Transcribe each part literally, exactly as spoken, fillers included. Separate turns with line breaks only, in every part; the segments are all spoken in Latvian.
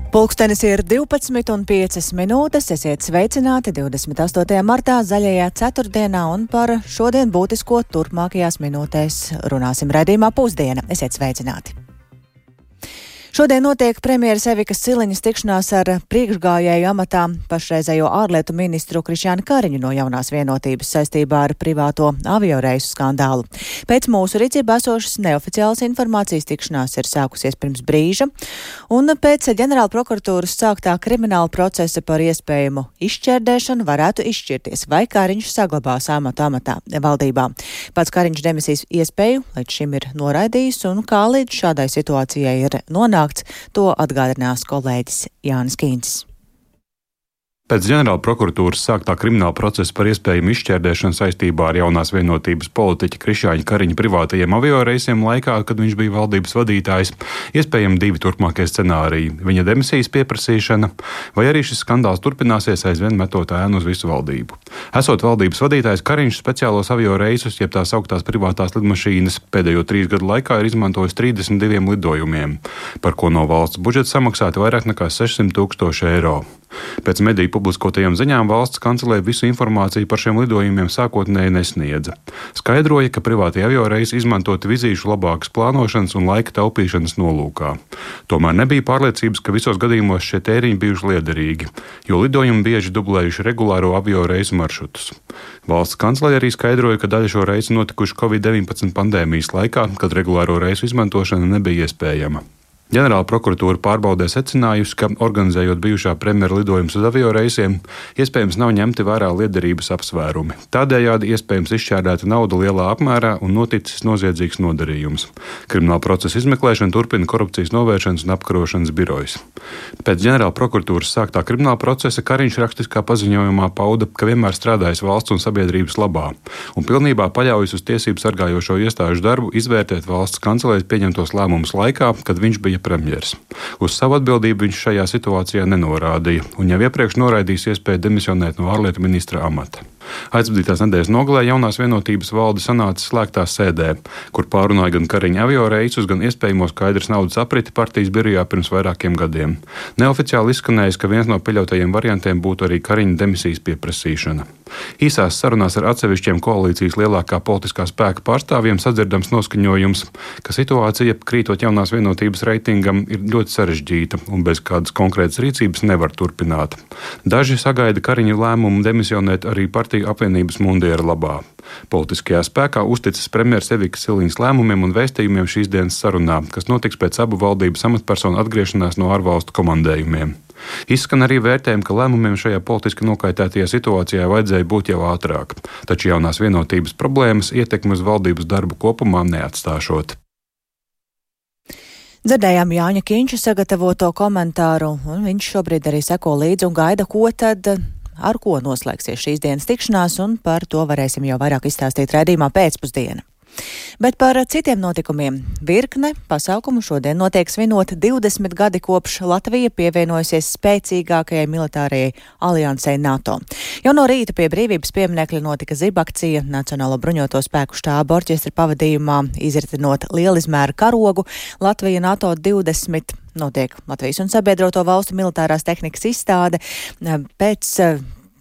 Pulkstenis ir divpadsmit un piecas minūtes, esiet sveicināti divdesmit astotajā martā zaļajā ceturtdienā un par šodien būtisko turpmākajās minūtēs runāsim raidījumā Pusdiena. Esiet sveicināti! Šodien notiek premjeras Evikas Siliņas tikšanās ar priekšgājēju amatā pašreizējo ārlietu ministru Krišjāni Kariņu no Jaunās vienotības saistībā ar privāto avioreisu skandālu. Pēc mūsu rīcībā esošas neoficiālas informācijas tikšanās ir sākusies pirms brīža, un pēc ģenerāla prokuratūras sāktā krimināla procesa par iespējamu izšķērdēšanu varētu izšķirties, vai Kariņš saglabās amatu amatā valdībā. Pats Kariņš demisijas iespēju līdz šim ir noraidījis, un kā līdz šādai situācijai ir nonākts, to atgādinās kolēģis Jānis Kīncis.
Pēc ģenerāla prokuratūras sāktā krimināla procesa par iespējamu izšķērdēšanu saistībā ar Jaunās vienotības politiķa Krišjāņa Kariņa privātajiem avioreisiem laikā, kad viņš bija valdības vadītājs, iespējami divi turpmākie scenāriji - viņa demisijas pieprasīšana, vai arī šis skandāls turpināsies aizvien metot ēnu uz visu valdību. Esot valdības vadītājs, Kariņš speciālos avioreisus, jeb tās augtās privātās lidmašīnas, pēdējo trīs gadu laikā ir izmantojis trīsdesmit diviem lidojumiem, par ko no valsts budžeta samaksāti vairāk nekā sešsimt tūkstoši eiro. Pēc mediju publiskotajām ziņām valsts kancelē visu informāciju par šiem lidojumiem sākotnēji nesniedza. Skaidroja, ka privātie avioreisi izmantoti vizīšu labākas plānošanas un laika taupīšanas nolūkā. Tomēr nebija pārliecības, ka visos gadījumos šie tēriņi bijuši liederīgi, jo lidojumi bieži dublējuši regulāro avioreisu maršrutus. Valsts kancelē arī skaidroja, ka daļa šo reisu notikuši covid deviņpadsmit pandēmijas laikā, kad regulāro reisu izmantošana nebija iespējama. Ģenerāla prokuratūra pārbaudē secinājusi, ka, organizējot bijušā premjera lidojumus uz avioreisiem, iespējams nav ņemti vērā liederības apsvērumi. Tādējādi iespējams izšķērdēta nauda lielā apmērā un noticis noziedzīgs nodarījums. Krimināla procesa izmeklēšanu turpina Korupcijas novēršanas un apkarošanas birojas. Pēc ģenerāla prokuratūras sāktā krimināla procesa Kariņš rakstiskā paziņojumā pauda, ka vienmēr strādājis valsts un sabiedrības labā un pilnībā paļaujas uz tiesību sargājošo iestāžu darbu izvērtēt valsts kancelēs pieņemtos lēmumus laikā, kad viņš bija premjers. Uz savu atbildību viņš šajā situācijā nenorādīja un jau iepriekš noraidījis iespēju demisionēt no ārlietu ministra amata. Aizvadītās nedēļas nogalē Jaunās vienotības valde sanāca slēgtā sēdē, kur pārunāja gan Kariņa avioreisus, gan iespējamo skaidrs naudas apriti partijas birojā pirms vairākiem gadiem. Neoficiāli izskanējis, ka viens no pieļautajiem variantiem būtu arī Kariņa demisijas pieprasīšana. Īsās sarunās ar atsevišķiem koalīcijas lielākā politiskā spēka pārstāvjiem sadzirdams noskaņojums, ka situācija, krītot Jaunās vienotības reitingam, ir ļoti sarežģīta un bez kādas konkrētas rīcības nevar turpināt. Daži sagaida Kariņa lēmumu demisionēt arī partiju apvienības mundiera labā. Politiskajā spēkā uzticas premjeras Evikas Siliņas lēmumiem un vēstījumiem šīs dienas sarunā, kas notiks pēc abu valdības amatpersonu atgriešanās no ārvalstu komandējumiem. Izskan arī vērtējumi, ka lēmumiem šajā politiski nokaitētajā situācijā vajadzēja būt jau ātrāk, taču Jaunās vienotības problēmas ietekmi uz valdības darbu kopumā neatstāšot.
Dzirdējām Jāņa Kīnča sagatavoto komentāru, un viņš šobrīd arī seko līdzi un gaida, ko tad, ar ko noslēgsies šīs dienas tikšanās, un par to varēsim jau vairāk izstāstīt raidījumā Pēcpusdiena. Bet par citiem notikumiem. Virkne pasākumu šodien notiek svinot divdesmit gadi kopš Latvija pievienojusies spēcīgākajai militārajai aliansei NATO. Jau no rīta pie Brīvības pieminekļa notika zibakcija Nacionālo bruņoto spēku štāba orķestra pavadījumā, izritinot lielizmēra karogu. Latvija NATO divdesmit notiek Latvijas un sabiedroto valstu militārās tehnikas izstāde. Pēc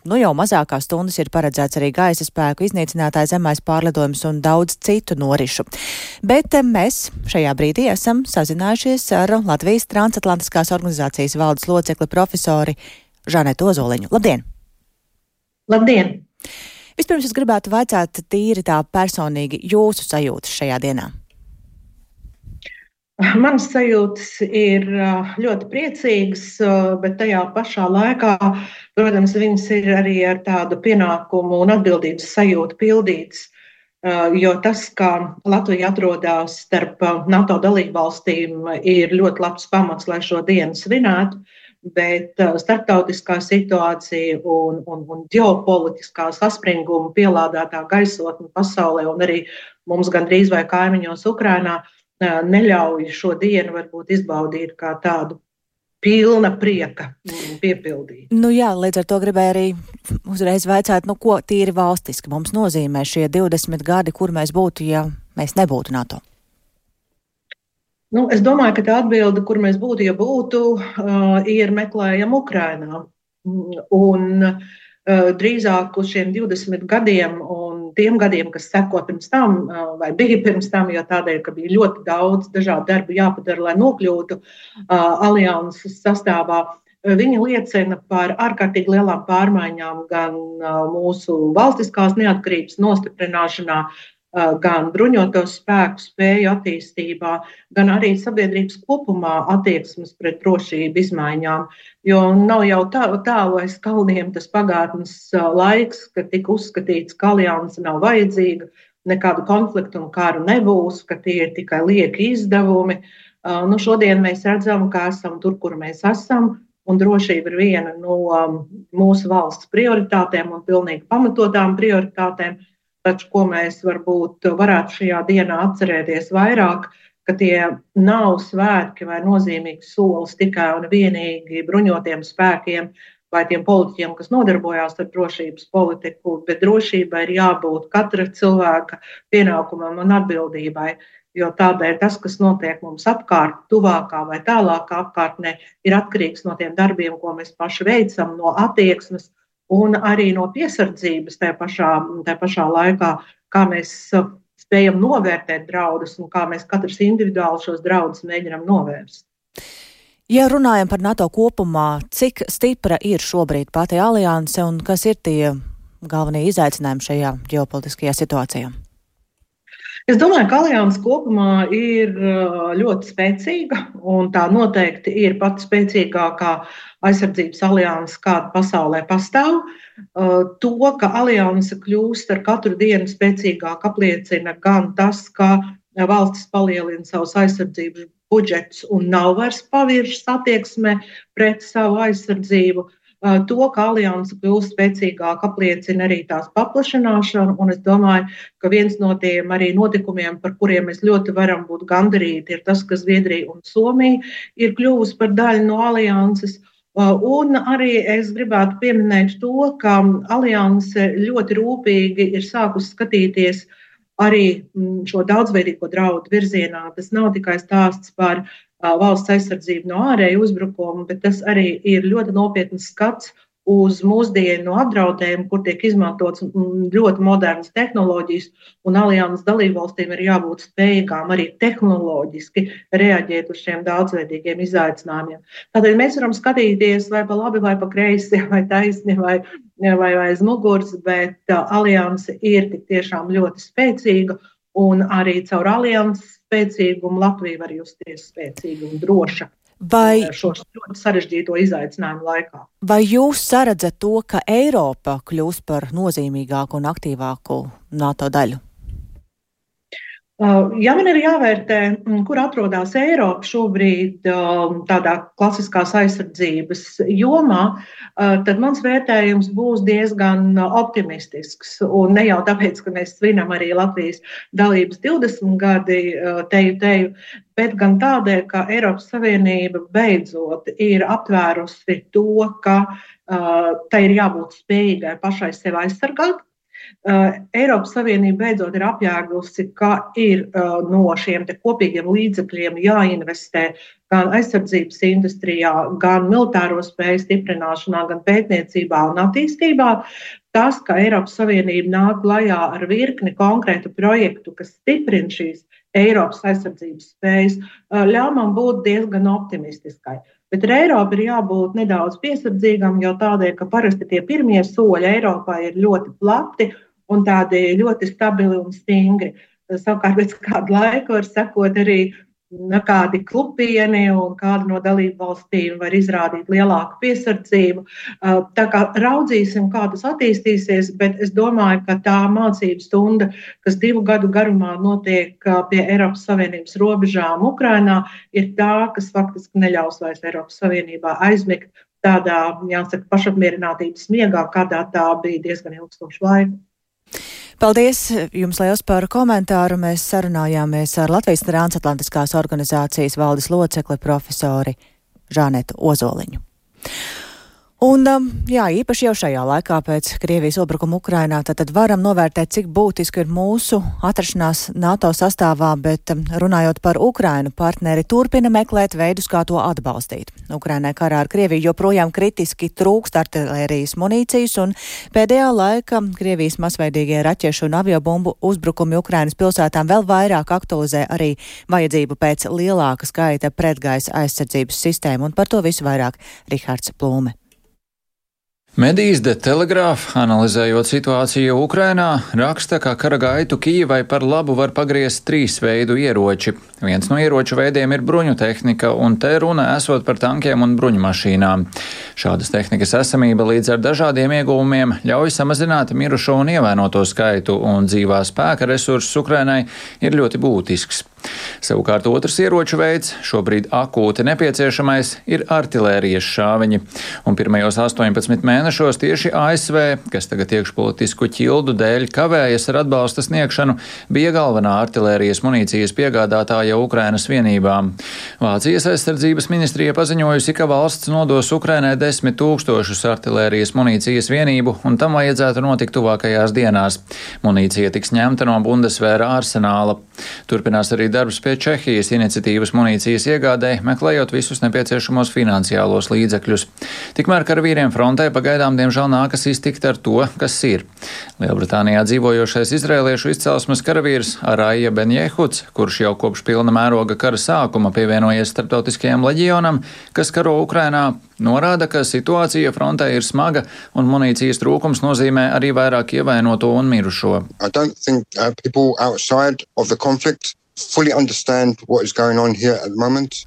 Nu jau mazākās stundas ir paredzēts arī gaisa spēku iznīcinātāja zemais pārlidojums un daudz citu norišu. Bet mēs šajā brīdī esam sazinājušies ar Latvijas transatlantiskās organizācijas valdes locekli profesori Žanetu Ozoliņu. Labdien!
Labdien!
Vispirms es gribētu vaicāt tīri tā personīgi jūsu sajūtas šajā dienā.
Manas sajūtas ir ļoti priecīgas, bet tajā pašā laikā, protams, viņas ir arī ar tādu pienākumu un atbildības sajūtu pildītas, jo tas, ka Latvija atrodas starp NATO dalībvalstīm, ir ļoti labs pamats, lai šo dienu svinētu, bet starptautiskā situācija un, un, un ģeopolitiskā saspringuma pielādētā gaisotne pasaulē un arī mums gandrīz vai kaimiņos Ukrainā neļauj šo dienu varbūt izbaudīt kā tādu pilna prieka piepildīt.
Nu jā, līdz ar to gribēju arī uzreiz vaicāt, nu ko tīri valstiski mums nozīmē šie divdesmit gadi, kur mēs būtu, ja mēs nebūtu NATO?
Nu, es domāju, ka tā atbilde, kur mēs būtu, ja būtu, uh, ir meklējama Ukrainā. Un uh, drīzāk uz šiem divdesmit gadiem un tiem gadiem, kas seko pirms tam, uh, vai bija pirms tam, jo tādēļ, ka bija ļoti daudz dažādu darbu jāpadara, lai nokļūtu uh, alianses sastāvā, viņi liecina par ārkārtīgi lielām pārmaiņām gan uh, mūsu valstiskās neatkarības nostiprināšanā, gan bruņotos spēku spēju attīstībā, gan arī sabiedrības kopumā attieksmes pret drošību izmaiņām. Jo nav jau tālu tā, aiz kalniem tas pagātnes laiks, kad tika uzskatīts, ka alianse nav vajadzīga, nekādu konfliktu un karu nebūs, ka tie ir tikai lieki izdevumi. Nu, šodien mēs redzam, ka esam tur, kur mēs esam, un drošība ir viena no mūsu valsts prioritātēm un pilnīgi pamatotām prioritātēm. Taču, ko mēs varbūt varētu šajā dienā atcerēties vairāk, ka tie nav svētki vai nozīmīgs solis tikai un vienīgi bruņotiem spēkiem vai tiem politiķiem, kas nodarbojās ar drošības politiku, bet drošībai ir jābūt katra cilvēka pienākumam un atbildībai, jo tādēļ tas, kas notiek mums apkārt, tuvākā vai tālākā apkārtnē, ir atkarīgs no tiem darbiem, ko mēs paši veicam, no attieksmes, un arī no piesardzības tajā pašā, tajā pašā laikā, kā mēs spējam novērtēt draudus un kā mēs katrs individuāli šos draudus mēģinam novērst.
Ja runājam par NATO kopumā, cik stipra ir šobrīd pati alianse un kas ir tie galvenie izaicinājumi šajā ģeopolitiskajā situācijā?
Es domāju, ka alianse kopumā ir ļoti spēcīga, un tā noteikti ir pati spēcīgākā aizsardzības alianse, kāda pasaulē pastāv. To, ka alianse kļūst ar katru dienu spēcīgāk, apliecina gan tas, ka valstis palielina savus aizsardzības budžetus un nav vairs paviršas attieksme pret savu aizsardzību. To, ka alianse kļūst spēcīgāk, apliecina arī tās paplašināšanu, un es domāju, ka viens no tiem arī notikumiem, par kuriem mēs ļoti varam būt gandarīti, ir tas, ka Zviedrija un Somija ir kļuvusi par daļu no alianses. Un arī es gribētu pieminēt to, ka alianse ļoti rūpīgi ir sākusi skatīties arī šo daudzveidīgo draudu virzienā. Tas nav tikai stāsts par valsts aizsardzību no ārēju uzbrukumu, bet tas arī ir ļoti nopietns skats uz mūsdienu apdraudējumu, kur tiek izmantots ļoti modernas tehnoloģijas, un alianses dalībvalstīm ir jābūt spējīgām arī tehnoloģiski reaģēt uz šiem daudzveidīgiem izaicinājumiem. Tādēļ mēs varam skatīties vai pa labi, vai pa kreisi, vai taisni, vai, vai aiz muguras, bet alianse ir tik tiešām ļoti spēcīga, un arī caur alianses spēcīgumu Latvija var justies spēcīga un droša. Vai šo ļoti sarežģīto izaicinājumu laikā.
Vai jūs saredzat to, ka Eiropa kļūs par nozīmīgāku un aktīvāku NATO daļu?
Ja man ir jāvērtē, kur atrodas Eiropa šobrīd tādā klasiskās aizsardzības jomā, tad mans vērtējums būs diezgan optimistisks. Un ne jau tāpēc, ka mēs svinam arī Latvijas dalības divdesmit gadi teju teju, bet gan tādēļ, ka Eiropas Savienība beidzot ir aptvērusi to, ka uh, tai ir jābūt spējīgai pašai sevi aizsargāt. Uh, Eiropas Savienība beidzot ir apjēgusi, ka ir uh, no šiem te kopīgiem līdzekļiem jāinvestē gan aizsardzības industrijā, gan militāro spēju stiprināšanā, gan pētniecībā un attīstībā. Tas, ka Eiropas Savienība nāk klajā ar virkni konkrētu projektu, kas stiprina šīs Eiropas aizsardzības spējas, uh, ļauj man būt diezgan optimistiskai. Bet ar Eiropu ir jābūt nedaudz piesardzīgam, jo tādēļ, ka parasti tie pirmie soļi Eiropā ir ļoti plati un tādi ļoti stabili un stingri. Savukārt pēc kādu laiku var sekot arī kādi klupieni un kāda no dalību valstīm var izrādīt lielāku piesardzību. Tā kā raudzīsim, kā tas attīstīsies, bet es domāju, ka tā mācību stunda, kas divu gadu garumā notiek pie Eiropas Savienības robežām Ukrainā, ir tā, kas faktiski neļaus vairs Eiropas Savienībā aizmigt tādā, jāsaka, pašapmierinātības miegā, kādā tā bija diezgan ilgstošu laiku.
Paldies jums liels par komentāru. Mēs sarunājāmies ar Latvijas transatlantiskās organizācijas valdes locekli profesori Žanetu Ozoliņu. Un, jā, īpaši jau šajā laikā pēc Krievijas uzbrukuma Ukrainā, tad, tad varam novērtēt, cik būtiski ir mūsu atrašanās NATO sastāvā, bet runājot par Ukrainu, partneri turpina meklēt veidus, kā to atbalstīt. Ukrainai karā ar Krieviju joprojām kritiski trūkst artilērijas munīcijas, un pēdējā laika Krievijas masveidīgie raķešu un aviobumbu uzbrukumi Ukrainas pilsētām vēl vairāk aktualizē arī vajadzību pēc lielāka skaita pretgaisa aizsardzības sistēmu, un par to visu vairāk Rihards Plūme.
Medijas de Telegraph, analizējot situāciju Ukrainā, raksta, ka kara gaitu Kijivai par labu var pagriezt trīs veidu ieroči. Viens no ieroču veidiem ir bruņu tehnika, un te runa esot par tankiem un bruņumašīnām. Šādas tehnikas esamība līdz ar dažādiem ieguvumiem ļauj samazināt mirušo un ievainoto skaitu, un dzīvā spēka resursus Ukrainai ir ļoti būtisks. Savukārt otrs ieroču veids, šobrīd akūti nepieciešamais, ir artilērijas šāviņi. Un pirmajos astoņpadsmit mēnešos tieši A S V, kas tagad iekšpolitisku ķildu dēļ kavējas ar atbalsta sniegšanu, bija galvenā artilērijas munīcijas piegādātāja Ukrainas vienībām. Vācijas aizsardzības ministrija paziņojusi, ka valsts nodos Ukrainai desmit tūkstošus artilērijas munīcijas vienību, un tam vajadzētu notikt tuvākajās dienās. Munīcija tiks ņemta no Bundesvēra arsenāla. Turpinās arī darbs pie Čehijas iniciatīvas munīcijas iegādē, meklējot visus nepieciešamos finansiālos līdzekļus. Tikmēr karavīriem frontē pagaidām diemžēl nākas iztikt ar to, kas ir. Lielbritānijā dzīvojošais izrēliešu izcelsmes karavīrs Araija Ben-Jehuds, kurš jau kopš pilna mēroga kara sākuma pievienojies starptautiskajam leģionam, kas karo Ukrainā, norāda, ka situācija frontē ir smaga un munīcijas trūkums nozīmē arī vairāk ievainoto un mirušo.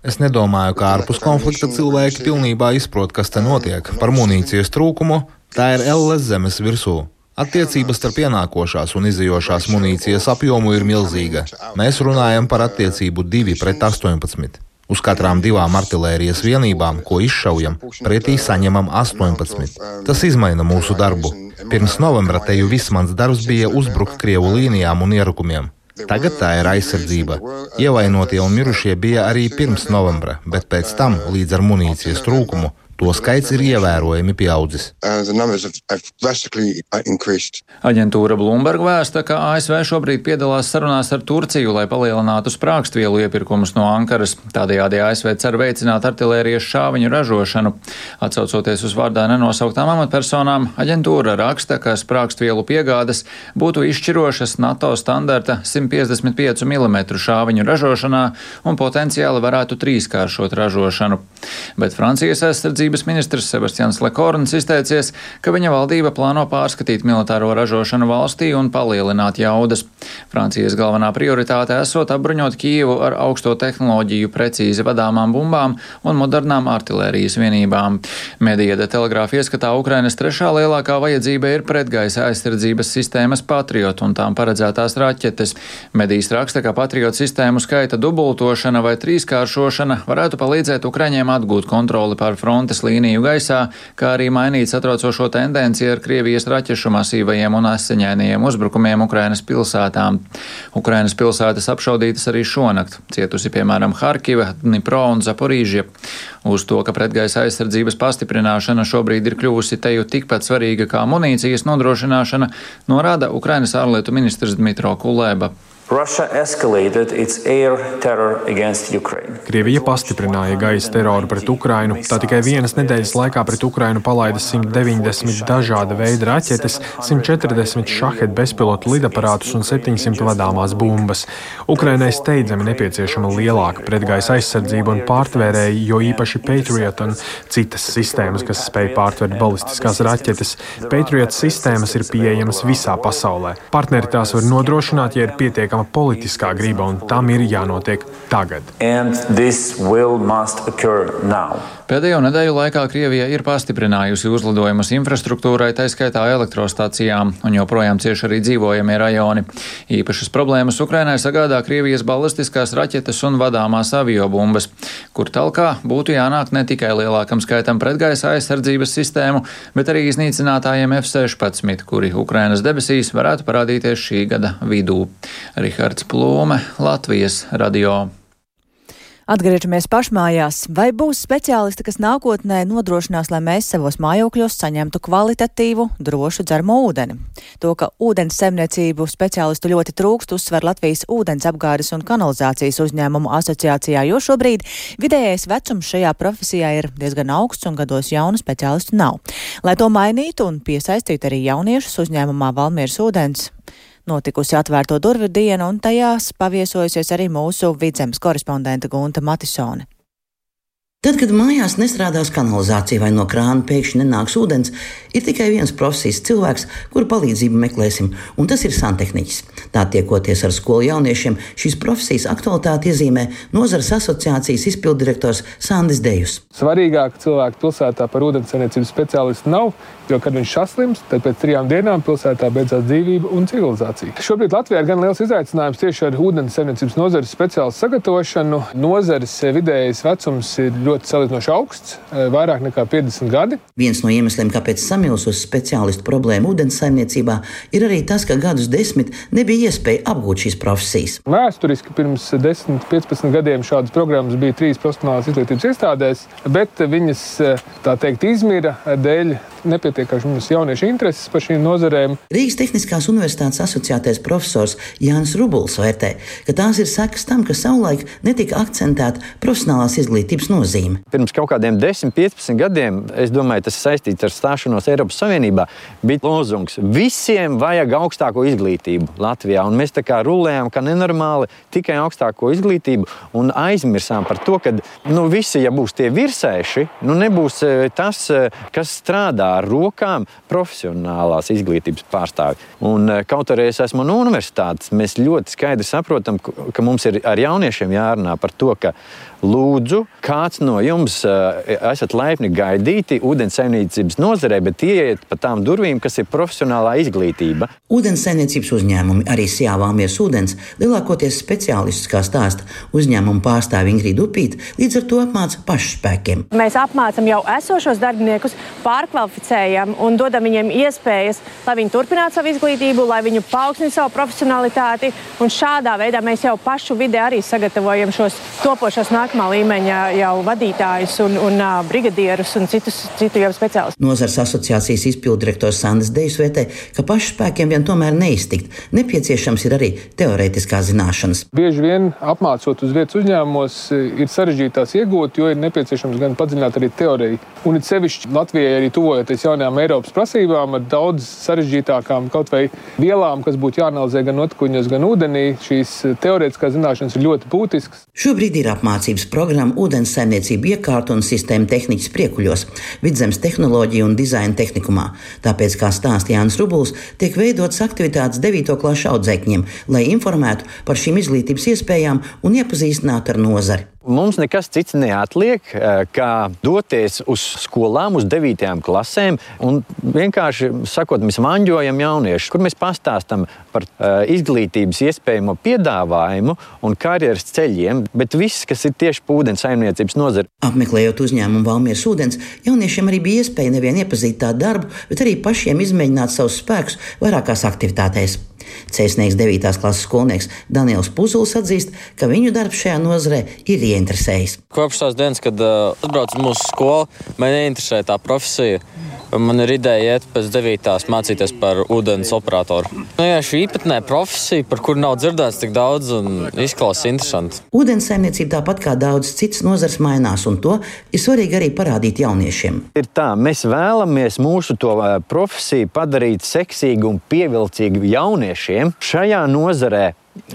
Es nedomāju, ka ārpus konflikta cilvēki pilnībā izprot, kas te notiek. Par munīcijas trūkumu tā ir elles zemes virsū. Attiecības starp ienākošās un izejošās munīcijas apjomu ir milzīga. Mēs runājam par attiecību divi pret astoņpadsmit. Uz katrām divām artilērijas vienībām, ko izšaujam, pretī saņemam astoņpadsmit. Tas izmaina mūsu darbu. Pirms novembra te jau viss mans darbs bija uzbrukt Krievu līnijām un ierukumiem. Tagad tā ir aizsardzība. Ievainotie un mirušie bija arī pirms novembra, bet pēc tam, līdz ar munīcijas trūkumu, to skaits ir ievērojami pieaudzis.
Aģentūra Bloomberg vēsta, ka A S V šobrīd piedalās sarunās ar Turciju, lai palielinātu sprākstvielu iepirkumus no Ankaras. Tādējādi A S V cer veicināt artilērijas šāviņu ražošanu. Atsaucoties uz vārdā nenosauktām amatpersonām, aģentūra raksta, ka sprākstvielu piegādes būtu izšķirošas NATO standarta simt piecdesmit pieci milimetru šāviņu ražošanā un potenciāli varētu trīskāršot ražošanu. Bet Francijas aizsardzības ministrs Sebastians Lekorns izteicies, ka viņa valdība plāno pārskatīt militāro ražošanu valstī un palielināt jaudas. Francijas galvenā prioritāte esot apbruņot Kijevu ar augsto tehnoloģiju precīzi vadāmām bumbām un modernām artilērijas vienībām. Medija de Telegraph ieskatā Ukrainas trešā lielākā vajadzība ir pretgaisa aizsardzības sistēmas Patriot un tām paredzētās raķetes. Medijas raksta, ka Patriot sistēmu skaita dubultošana vai trīskāršošana varētu palīdzēt Ukraiņiem atgūt kontroli pār frontes līniju gaisā, kā arī mainīt satraucošo tendenci ar Krievijas raķešu masīvajiem un asiņainajiem uzbrukumiem Ukrainas pilsētām. Ukrainas pilsētas apšaudītas arī šonakt, cietusi piemēram Harkiva, Dnipro un Zaporīžja. Uz to, ka pretgaisa aizsardzības pastiprināšana šobrīd ir kļuvusi teju tikpat svarīga kā munīcijas nodrošināšana, norāda Ukrainas ārlietu ministrs Dmitro Kuleba.
Krievija pastiprināja gaisa teroru pret Ukrainu. Tā tikai vienas nedēļas laikā pret Ukrainu palaida simt deviņdesmit dažāda veida raķetes, simt četrdesmit šahed bezpilotu lidaparātus un septiņsimt vadāmās bumbas. Ukrainai steidzami nepieciešama lielāka pretgaisa aizsardzība un pārtvērēji, jo īpaši Patriot un citas sistēmas, kas spēj pārtvert balistiskās raķetes. Patriot sistēmas ir pieejamas visā pasaulē. Partneri tās var nodrošināt, ja ir pietiekama politiskā griba, un tam ir jānotiek tagad.
Pēdējo nedēļu laikā Krievija ir pastiprinājusi uzlidojumus infrastruktūrai, tā skaitā elektrostacijām, un joprojām cieši arī dzīvojamie rajoni. Īpašas problēmas Ukrainai sagādā Krievijas balistiskās raķetes un vadāmās aviobumbas, kur talkā būtu jānāk ne tikai lielākam skaitam pretgaisa aizsardzības sistēmu, bet arī iznīcinātājiem F sešpadsmit, kuri Ukrainas debesīs varētu parādīties šī gada vidū. Rihards Plūme, Latvijas radio.
Atgriežamies pašmājās. Vai būs speciālisti, kas nākotnē nodrošinās, lai mēs savos mājokļos saņemtu kvalitatīvu, drošu dzeramo ūdeni? To, ka ūdens saimniecību speciālistu ļoti trūkst, uzsver Latvijas ūdens apgādes un kanalizācijas uzņēmumu asociācijā, jo šobrīd vidējais vecums šajā profesijā ir diezgan augsts un gados jaunu speciālistu nav. Lai to mainītu un piesaistītu arī jauniešus, uzņēmumā Valmieras ūdens notikusi atvērto durvju diena, un tajās paviesojusies arī mūsu Vidzemes korespondente Gunta Matisone.
Tad, kad mājās nestrādās kanalizācija vai no krāna pēkšņi nenāks ūdens, ir tikai viens profesijas cilvēks, kuru palīdzību meklēsim, un tas ir santehniķis. Tā tiekoties ar skolu jauniešiem, šīs profesijas aktualitāti iezīmē nozares asociācijas izpilddirektors Sandis Dejus.
Svarīgāk cilvēku pilsētā par ūdenssaimniecības speciālistu nav, jo, kad viņš saslims, tad pēc trijām dienām pilsētā beidzās dzīvība un civilizācija. Šobrīd Latvijā ir gan liels izaicinājums tieši ar ūdenssaimniecības nozares speciālistu sagatavošanu. Nozares vidējais vecums ir ļoti salīdzinoši augsts, vairāk nekā piecdesmit gadi.
Viens no iemesliem, kāpēc samilsus speciālistu problēmu ūdenssaimniecībā, ir arī tas, ka gadus desmit nebija iespēja apgūt šīs profesijas.
Vēsturiski pirms desmit, piecpadsmit gadiem šādas programmas bija trīs profesionālās izglītības iestādēs, bet viņas, tā teikt, izmira dēļ nepietiekams jauniešu intereses par šīm nozarēm.
Rīgas Tehniskās universitātes asociētais profesors Jānis Rubuls vērtē, ka tās ir sekas tam, ka savulaik netika akcentēta profesionālās izglītības nozīme.
Pirms kaut kādiem desmit, piecpadsmit gadiem, es domāju, tas saistīts ar stāšanos Eiropas Savienībā, bija lozungs: visiem vajag augstāko izglītību Latvijā, un mēs tā kā rulējām, ka nenormāli tikai augstāko izglītību, un aizmirsām par to, ka nu, visi, ja būs tie virsēši, nu nebūs tas, kas strādā ar rokām, profesionālās izglītības pārstāvi. Un kaut arī es esmu no universitātes, mēs ļoti skaidri saprotam, ka mums ir ar jauniešiem jārunā par to, ka lūdzu, kāds no jums uh, esat laipni gaidīti ūdenssaimniecības nozarē, bet ieiet pa tām durvīm, kas ir profesionālā izglītība.
Ūdenssaimniecības uzņēmumi, arī Sijā Valmieras ūdens, lielākoties speciālistus, kā stāsta uzņēmumu pārstāve Ingrīda Upīte, līdz ar to apmāca pašspēkiem.
Mēs apmācam jau esošos darbiniekus, pārkvalificējam un dodam viņiem iespējas, lai viņi turpinātu savu izglītību, lai viņi paaugstinātu savu profesionalitāti, un šādā veidā mēs jau pašu vidē arī sagatavojam šos topošos nākamā līmeņa jau vadītājus un, un uh, brigadierus un citus citu jau speciālistus.
Nozares asociācijas izpilddirektors Sandis Dejus vērtē, ka pašspēkiem vien tomēr neiztikt. Nepieciešams ir arī teorētiskās zināšanas.
Bieži vien apmācot uz vietas uzņēmumos ir sarežģītās iegūt, jo ir nepieciešams gan padziļināt arī teoriju. Un it sevišķi Latvijai arī tuvojoties jaunajām Eiropas prasībām ar daudz sarežģītākām kaut vai vielām, kas būtu jāanalizē gan notikuņos, gan ūdenī. Šīs teorētiskās zināšanas ir ļoti būtiskas.
Šobrīd ir apmācības programma ūdenssaimniecību iekārtu un sistēmu tehniķis Priekuļos, Vidzemes tehnoloģiju un dizaina tehnikumā. Tāpēc, kā stāsta Jānis Rubuls, tiek veidotas aktivitātes devīto klašu audzēkņiem, lai informētu par šīm izglītības iespējām un iepazīstinātu ar nozari.
Mums nekas cits neatliek, kā doties uz skolām, uz devītajām klasēm un vienkārši sakot, mēs maņģojam jauniešus, kur mēs pastāstam par uh, izglītības iespējamo piedāvājumu un karjeras ceļiem, bet viss, kas ir tieši pa ūdenssaimniecības nozari.
Apmeklējot uzņēmumu Valmieras ūdens, jauniešiem arī bija iespēja nevien iepazīt tā darbu, bet arī pašiem izmēģināt savus spēkus vairākās aktivitātēs. Cēsnieks devītās klases skolnieks Daniels Puzulis atzīst, ka viņu darbs šajā nozarē ir ieinteresējis.
Kopš tās dienas, kad uh, atbraucu uz mūsu skolu, man ieinteresēja tā profesija. Man ir ideja iet pēc devītās mācīties par ūdens operatoru. Nu, jā, šī īpatnē profesija, par kuru nav dzirdēts tik daudz un izklausās interesanti.
Ūdenssaimniecība tāpat kā daudz citas nozars mainās, un to ir svarīgi arī parādīt jauniešiem.
Ir tā, mēs vēlamies mūsu to profesiju padarīt seksīgu un pievilcīgu jauniešiem šajā nozarē.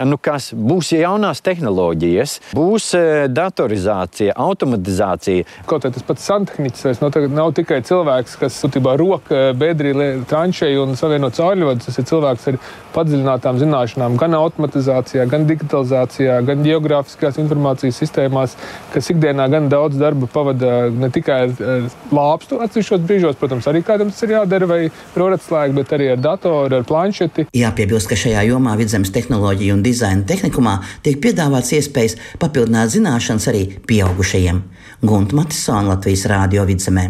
Nu, kas būs jaunās tehnoloģijas, būs datorizācija, automatizācija.
Kaut kā tas pats santehniķis vairs nav, nav tikai cilvēks, kas būtībā roka bedrī tranšēju un savieno caurļodu. Tas ir cilvēks ar padziļinātām zināšanām gan automatizācijā, gan digitalizācijā, gan geogrāfiskās informācijas sistēmās, kas ikdienā gan daudz darba pavada ne tikai ar lāpstu atsevišķos brīžos, protams, arī kādam tas ir jādara vai roratslēgu, bet arī ar datoru, ar planšeti.
Jāpiebilst, ka šajā jomā Vidzemes tehnoloģija un dizaina tehnikumā tiek piedāvāts iespējas papildināt zināšanas arī pieaugušajiem. Gunta Matisone, Latvijas Rādio Vidzemē.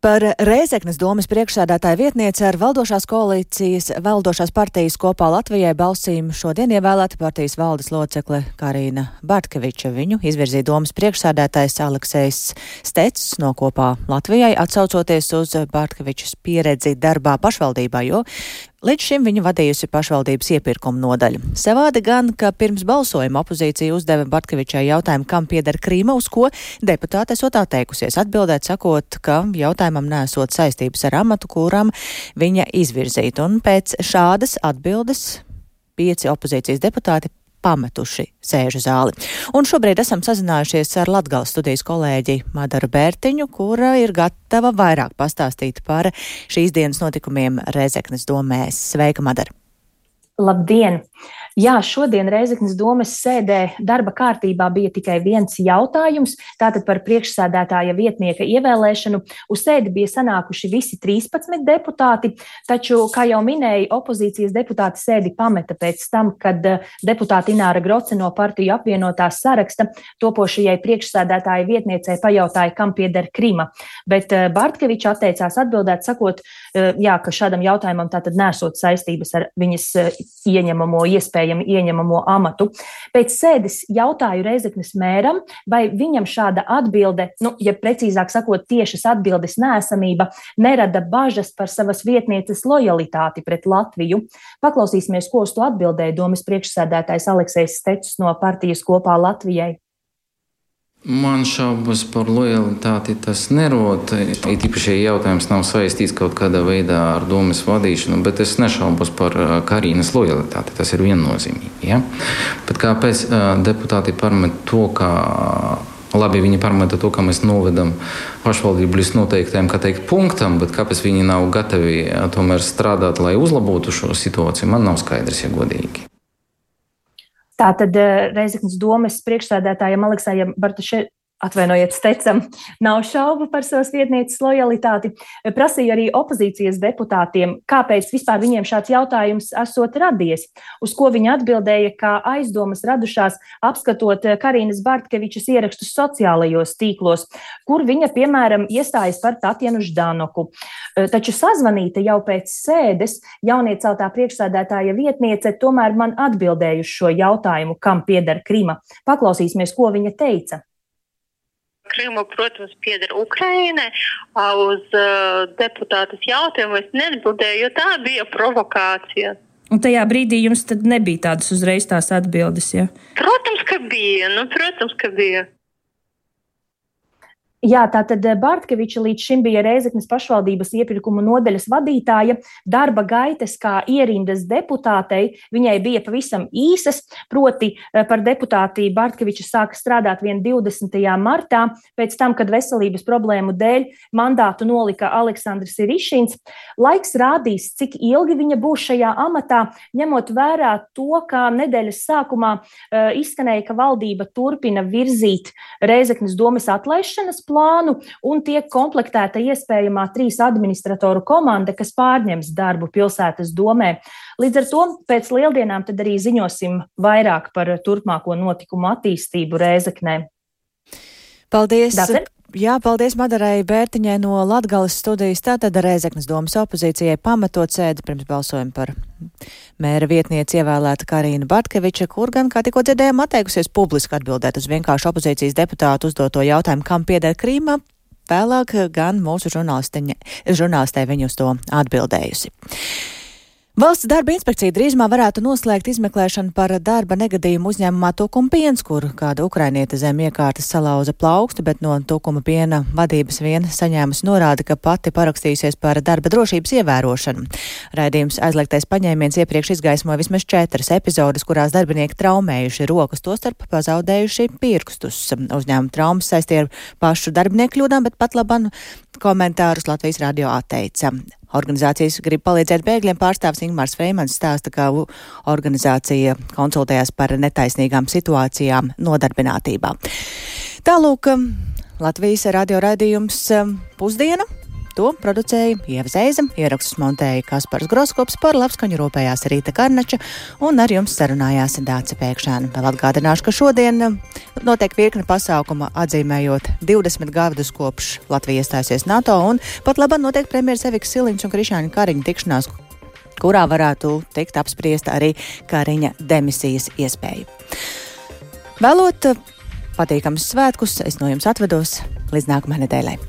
Par Rēzeknes domas priekšsēdētāja vietnieci ar valdošās koalīcijas, valdošās partijas Kopā Latvijai balsīm šodien ievēlēta partijas valdes locekle Karina Bartkeviča. Viņu izvirzīja domas priekšsēdētājs Aleksejs Stecis no Kopā Latvijai, atsaucoties uz Bartkevičas pieredzi darbā pašvaldībā, jo līdz šim viņa vadījusi pašvaldības iepirkuma nodaļu. Savādi gan, ka pirms balsojuma opozīcija uzdeva Bartkevičai jautājumu, kam pieder Krīma, uz ko deputāte esot atteikusies atbildēt, sakot, ka jautājumam nesot saistības ar amatu, kuram viņa izvirzīta. Un pēc šādas atbildes pieci opozīcijas deputāti pametuši sēžu zāli. Un šobrīd esam sazinājušies ar Latgales studijas kolēģi Madaru Bērtiņu, kura ir gatava vairāk pastāstīt par šīs dienas notikumiem Rēzeknes domē. Sveika, Madara!
Labdien! Jā, šodien Rēzeknes domes sēdē darba kārtībā bija tikai viens jautājums, tātad par priekšsēdētāja vietnieka ievēlēšanu. Uz sēdi bija sanākuši visi trīspadsmit deputāti, taču, kā jau minēja, opozīcijas deputāti sēdi pameta pēc tam, kad deputāte Ināra Groce no partiju apvienotās saraksta topošajai priekšsēdētāja vietniecei pajautāja, kam pieder Krima. Bet Bartkeviča atteicās atbildēt, sakot, jā, ka šādam jautājumam tātad nesot saistības ar viņas ieņemamo iespēju ieņemamo amatu. Pēc sēdes jautāju Rēzeknes mēram, vai viņam šāda atbilde, nu, ja precīzāk sakot, tiešas atbildes neesamība, nerada bažas par savas vietnieces lojalitāti pret Latviju. Paklausīsimies, ko uz to atbildēja domas priekšsēdētājs Aleksejs Stecis no partijas Kopā Latvijai.
Man šaubas par lojalitāti tas nerod. It īpaši jautājums nav saistīts kaut kādā veidā ar domas vadīšanu, bet es nešaubos par Karīnas lojalitāti. Tas ir viennozīmīgi. Ja? Bet kāpēc deputāti parmet to, ka labi viņi parmeta to, ka mēs novedam pašvaldību līdz noteiktajam, kā teikt, punktam, bet kāpēc viņi nav gatavi tomēr strādāt, lai uzlabotu šo situāciju, man nav skaidrs, ja godīgi.
Tātad Rēzeknes domes priekšsēdētājam Aleksejam Bartaševičam, atvainojiet, Stecam, nav šaubu par savas vietnieces lojalitāti. Prasīja arī opozīcijas deputātiem, kāpēc vispār viņiem šāds jautājums esot radies, uz ko viņa atbildēja, ka aizdomas radušās apskatot Karīnas Bartkevičas ierakstus sociālajos tīklos, kur viņa, piemēram, iestājas par Tatjanu Ždanoku. Taču sazvanīta jau pēc sēdes jaunieceltā priekšsēdētāja vietniece tomēr man atbildēja uz šo jautājumu, kam pieder Krima. Paklausīsimies, ko viņa teica.
Krima, protams, pieder Ukrainai. Uz uh, deputātas jautājumu es neatbildēju, jo tā bija provokācija.
Un tajā brīdī jums tad nebija tādas uzreiz tās atbildes, ja?
Protams, ka bija. Nu, protams, ka bija.
Jā, tātad Bartkeviča līdz šim bija Rēzeknes pašvaldības iepirkumu nodaļas vadītāja. Darba gaitas kā ierindas deputātei viņai bija pavisam īsas, proti par deputāti Bartkeviča sāka strādāt vien divdesmitajā martā, pēc tam, kad veselības problēmu dēļ mandātu nolika Aleksandrs Irišins. Laiks rādīs, cik ilgi viņa būs šajā amatā, ņemot vērā to, kā nedēļas sākumā uh, izskanēja, ka valdība turpina virzīt Rēzeknes domes atlaišanas plānu un tiek komplektēta iespējamā trīs administratoru komanda, kas pārņems darbu pilsētas domē. Līdz ar to pēc lieldienām tad arī ziņosim vairāk par turpmāko notikumu attīstību Rēzeknē.
Paldies!
Dater?
Jā, paldies Madarai Bērtiņai no Latgales studijas. Tātad Rēzeknes domas opozīcijai pametot sēdi pirms balsojuma par mēra vietnieci ievēlēta Karina Bartkeviča, kur gan, kā tikko dzirdējām, atteikusies publiski atbildēt uz vienkārši opozīcijas deputātu uzdoto jautājumu, kam pieder Krīma. Vēlāk gan mūsu žurnālistē viņu uz to atbildējusi. Valsts darba inspekcija drīzumā varētu noslēgt izmeklēšanu par darba negadījumu uzņēmumā Tukuma piens, kur kāda ukrainiete zem iekārtas salauza plaukstu, bet no Tukuma piena vadības vien saņēmusi norādi, ka pati parakstījusies par darba drošības ievērošanu. Raidījums aizliegtais paņēmiens iepriekš izgaismoja vismaz četras epizodes, kurās darbinieki traumējuši rokas, tostarp pazaudējuši pirkstus. Uzņēmuma traumas saistīja ar pašu darbinieku kļūdām, bet pat laban komentārus Latvijas radio atteica. Organizācijas grib palīdzēt bēgļiem. Pārstāvs Ingmārs Freimans stāsta, ka organizācija konsultējās par netaisnīgām situācijām nodarbinātībā. Tālūk, Latvijas radio raidījums Pusdiena. To producēja Ieva Zeiza, ierakstus montēja Kaspars Groskops, par labskaņu rūpējās Rīta Karnača un ar jums sarunājās Dāce Pēkšēna. Vēl atgādināšu, ka šodien notiek virkne pasākuma atzīmējot divdesmit gadus kopš Latvija iestājusies NATO, un pat labāk notiek premjeras Evikas Siliņas un Krišjāņa Kariņa tikšanās, kurā varētu tikt apspriesta arī Kariņa demisijas iespēja. Vēlot patīkamus svētkus, es no jums atvedos līdz nākamajai nedēļai.